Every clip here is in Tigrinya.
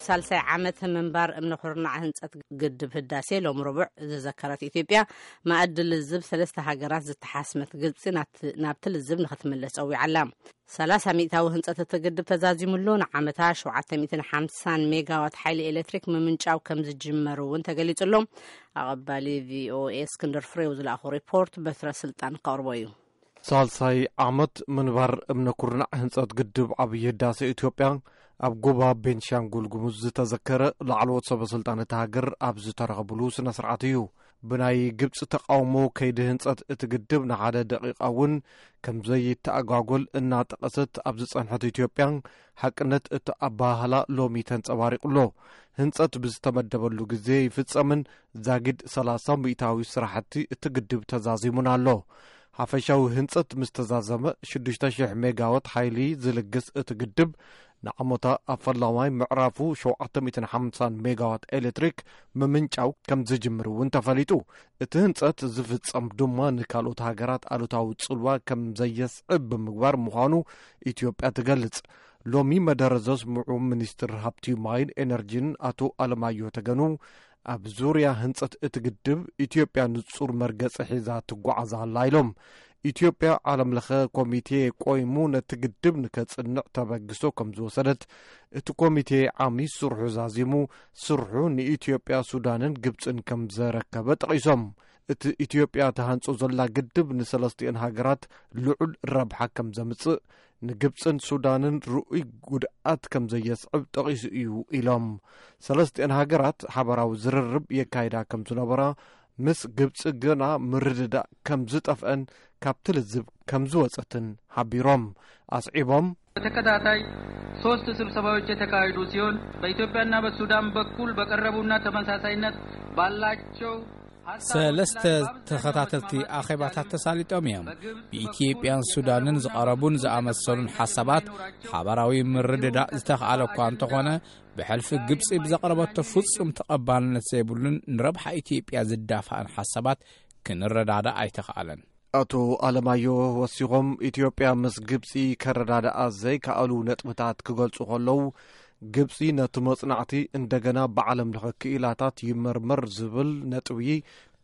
ሳልሳይ ዓመት ምንባር እምነ ኩርናዕ ህንጸት ግድብ ህዳሴ ሎም ረቡዕ ዝዘከረት ኢትዮጵያ፣ ማእዲ ልዝብ ሰለስተ ሃገራት ዝተሓስመት ግብጺ ናብቲ፣ ናብቲ ልዝብ ንኽትምለስ ጸዊዓ ኣላ። ሰላሳ ሚእታዊ ህንጸት እቲ ግድብ ተዛዚሙ ኣሎ። ንዓመታ ሸውዓተ ሚእትን ሓምሳን ሜጋዋት ሓይሊ ኤሌክትሪክ ምምንጫው ከም ዝጅመር እውን ተገሊጹ ኣሎ። ኣቐባሊ ቪኦኤ እስክንድር ፍሬው ዝለኣኾ ሪፖርት በትረ ስልጣን ከቕርቦ እዩ። ሳልሳይ ዓመት ምንባር እምነ ኩርናዕ ህንጸት ግድብ ዓብዪ ህዳሴ ኢትዮጵያ ኣብ ጎባ ቤንሻንጉል ጉሙዝ ዝተዘከረ፣ ላዕለዎት ሰበ ስልጣን እታ ሃገር ኣብ ዝተረኸብሉ ስነ ስርዓት እዩ። ብናይ ግብጺ ተቃውሞ ከይዲ ህንጸት እቲ ግድብ ንሓደ ደቂቃ እውን ከም ዘይተኣጓጎል እናጠቐሰት ኣብ ዝጸንሐት ኢትዮጵያ፣ ሓቅነት እቲ ኣበሃህላ ሎሚ ተንጸባሪቑ ኣሎ። ህንጸት ብዝተመደበሉ ግዜ ይፍጸምን ዛጊድ ሰላሳ ሚእታዊ ስራሕቲ እቲ ግድብ ተዛዚሙን ኣሎ። ሓፈሻዊ ህንጸት ምስ ተዛዘመ፣ ሽዱሽተ ሽሕ ሜጋዋት ሓይሊ ዝልግስ እቲ ግድብ፣ ንዓመታ ኣብ ፈላማይ ምዕራፉ ሸውዓተ ሚእትን ሓምሳን ሜጋዋት ኤሌክትሪክ ምምንጫው ከም ዝጅምር እውን ተፈሊጡ። እቲ ህንጸት ዝፍጸም ድማ ንካልኦት ሃገራት ኣሉታዊ ጽልዋ ከም ዘየስዕብ ብምግባር ምዃኑ ኢትዮጵያ ትገልጽ። ሎሚ መደረ ዘስምዑ ሚኒስትር ሃብቲ ማይን ኤነርጂን ኣቶ ኣለማዮ ተገኑ፣ ኣብ ዙርያ ህንጸት እቲ ግድብ ኢትዮጵያ ንጹር መርገጺ ሒዛ ትጓዓዝ ኣላ ኢሎም። ኢትዮጵያ ዓለም ለኸ ኮሚቴ ቆይሙ ነቲ ግድብ ንከጽንዕ ተበግሶ ከም ዝወሰደት፣ እቲ ኮሚቴ ዓሚ ስርሑ ዛዚሙ፣ ስርሑ ንኢትዮጵያ፣ ሱዳንን ግብጽን ከም ዘረከበ ጠቒሶም። እቲ ኢትዮጵያ ትሃንጾ ዘላ ግድብ ንሰለስቲኤን ሃገራት ልዑል ረብሓ ከም ዘምጽእ፣ ንግብጽን ሱዳንን ርኡይ ጉድኣት ከም ዘየስዕብ ጠቒሱ እዩ ኢሎም። ሰለስቲኤን ሃገራት ሓበራዊ ዝርርብ የካይዳ ከም ዝነበራ፣ ምስ ግብጺ ግና ምርድዳእ ከም ዝጠፍአን ካብቲ ልዝብ ከም ዝወጸትን ሓቢሮም። ኣስዒቦም፣ በተከታታይ ሶስት ስብሰባዎች የተካሄዱ ሲሆን፣ በኢትዮጵያና በሱዳን በኩል በቀረቡና ተመሳሳይነት ባላቸው ሰለስተ ተኸታተልቲ ኣኼባታት ተሳሊጦም እዮም። ብኢትዮጵያን ሱዳንን ዝቐረቡን ዝኣመሰሉን ሓሳባት ሓባራዊ ምርድዳእ ዝተኽኣለ እኳ እንተኾነ፣ ብሕልፊ ግብጺ ብዘቕረበቶ ፍጹም ተቐባልነት ዘይብሉን ንረብሓ ኢትዮጵያ ዝዳፋእን ሓሳባት ክንረዳዳእ ኣይተኽኣለን። ኣቶ ኣለማዮ ወሲኾም፣ ኢትዮጵያ ምስ ግብጺ ከረዳድኣ ዘይከኣሉ ነጥብታት ክገልጹ ከለዉ፣ ግብጺ ነቲ መጽናዕቲ እንደገና ብዓለም ለኸ ክኢላታት ይመርመር ዝብል ነጥቢ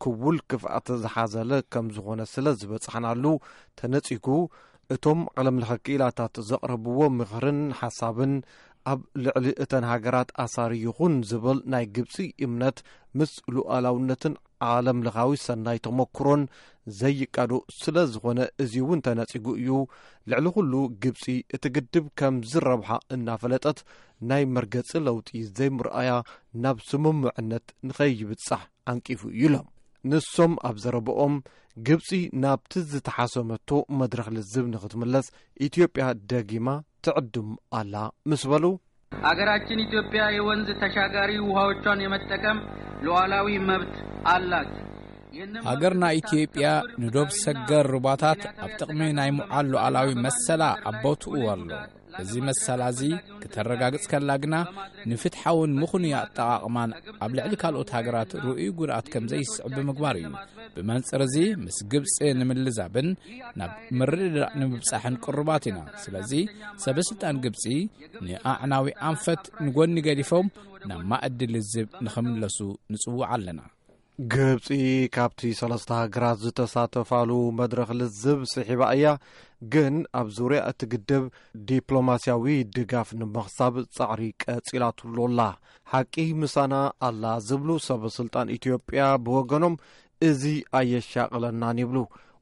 ክውል ክፍኣት ዝሓዘለ ከም ዝኾነ ስለ ዝበጻሕናሉ ተነጺጉ፣ እቶም ዓለም ለኸ ክኢላታት ዘቕረብዎ ምኽርን ሓሳብን ኣብ ልዕሊ እተን ሃገራት ኣሳሪ ይኹን ዝብል ናይ ግብጺ እምነት ምስ ሉዓላውነትን ዓለም ለኻዊ ሰናይ ተመክሮን ዘይቃዶ ስለ ዝኾነ፣ እዚ እውን ተነጺጉ እዩ። ልዕሊ ኩሉ ግብጺ እቲ ግድብ ከም ዝረብሓ እናፈለጠት ናይ መርገጺ ለውጢ ዘይምርኣያ ናብ ስምምዕነት ንኸይብጻሕ ዓንቂፉ እዩ ኢሎም። ንሶም ኣብ ዘረብኦም፣ ግብጺ ናብቲ ዝተሓሰመቶ መድረኽ ልዝብ ንኽትምለስ ኢትዮጵያ ደጊማ ትዕድም ኣላ ምስ በሉ፣ አገራችን ኢትዮጵያ የወንዝ ተሻጋሪ ውሃዎቿን የመጠቀም ሉዓላዊ መብት አላት። ይህንን መብት ሃገርና ኢትዮጵያ ንዶብ ሰገር ሩባታት ኣብ ጥቕሚ ናይ ምውዓል ሉዓላዊ መሰላ ኣብ ቦትኡ ኣሎ። እዚ መሰላ እዚ ክተረጋግጽ ከላ ግና፣ ንፍትሓውን ምኽኑይ ኣጠቓቕማን ኣብ ልዕሊ ካልኦት ሃገራት ርኡይ ጉድኣት ከም ዘይስዕብ ብምግባር እዩ። ብመንጽር እዚ፣ ምስ ግብጺ ንምልዛብን ናብ ምርድዳእ ንምብጻሕን ቅሩባት ኢና። ስለዚ፣ ሰበ ስልጣን ግብጺ ንኣዕናዊ ኣንፈት ንጎኒ ገዲፎም ናብ ማእዲ ልዝብ ንኽምለሱ ንጽውዕ ኣለና። ግብጺ ካብቲ ሰለስተ ሃገራት ዝተሳተፋሉ መድረኽ ልዝብ ስሒባ እያ፣ ግን ኣብ ዙርያ እቲ ግድብ ዲፕሎማስያዊ ድጋፍ ንምኽሳብ ጻዕሪ ቀጺላትሉ ኣላ። ሓቂ ምሳና ኣላ ዝብሉ ሰበ ስልጣን ኢትዮጵያ ብወገኖም፣ እዚ ኣየሻቕለናን ይብሉ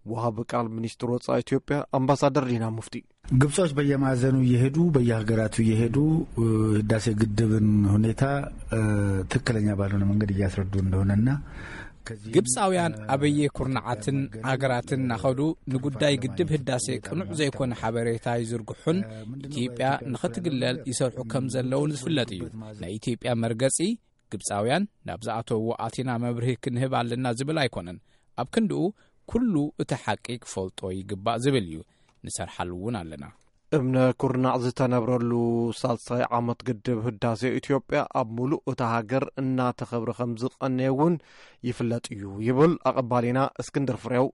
ወሃቢ ቃል ሚኒስትር ወጻኢ ኢትዮጵያ ኣምባሳደር ዲና ሙፍቲ። ግብጾች በየማዕዘኑ እየሄዱ፣ በየሀገራቱ እየሄዱ፣ እ፣ ህዳሴ ግድብን ሁኔታ፣ እ፣ ትክክለኛ ባልሆነ መንገድ እያስረዱ እንደሆነና ከዚህ ግብጻውያን ኣበየ ኩርናዓትን ኣገራትን እናኸዱ ንጉዳይ ግድብ ህዳሴ ቅኑዕ ዘይኮነ ሓበሬታ ይዝርግሑን ኢትዮጵያ ንኽትግለል ይሰርሑ ከም ዘለውን ዝፍለጥ እዩ። ናይ ኢትዮጵያ መርገጺ ግብጻውያን ናብ ዝኣተውዎ ኣቲና መብርሂ ክንህብ ኣለና ዝብል ኣይኮነን። ኣብ ክንድኡ ኩሉ እቲ ሓቂ ክፈልጦ ይግባእ ዝብል እዩ። ንሰርሓሉ እውን ኣለና። እምነ ኩርናዕ ዝተነብረሉ ሳልሳይ ዓመት ግድብ ህዳሴ ኢትዮጵያ ኣብ ሙሉእ እታ ሃገር እናተኸብረ ከም ዝቐነየ እውን ይፍለጥ እዩ ይብል ኣቐባሊና እስክንድር ፍሬው።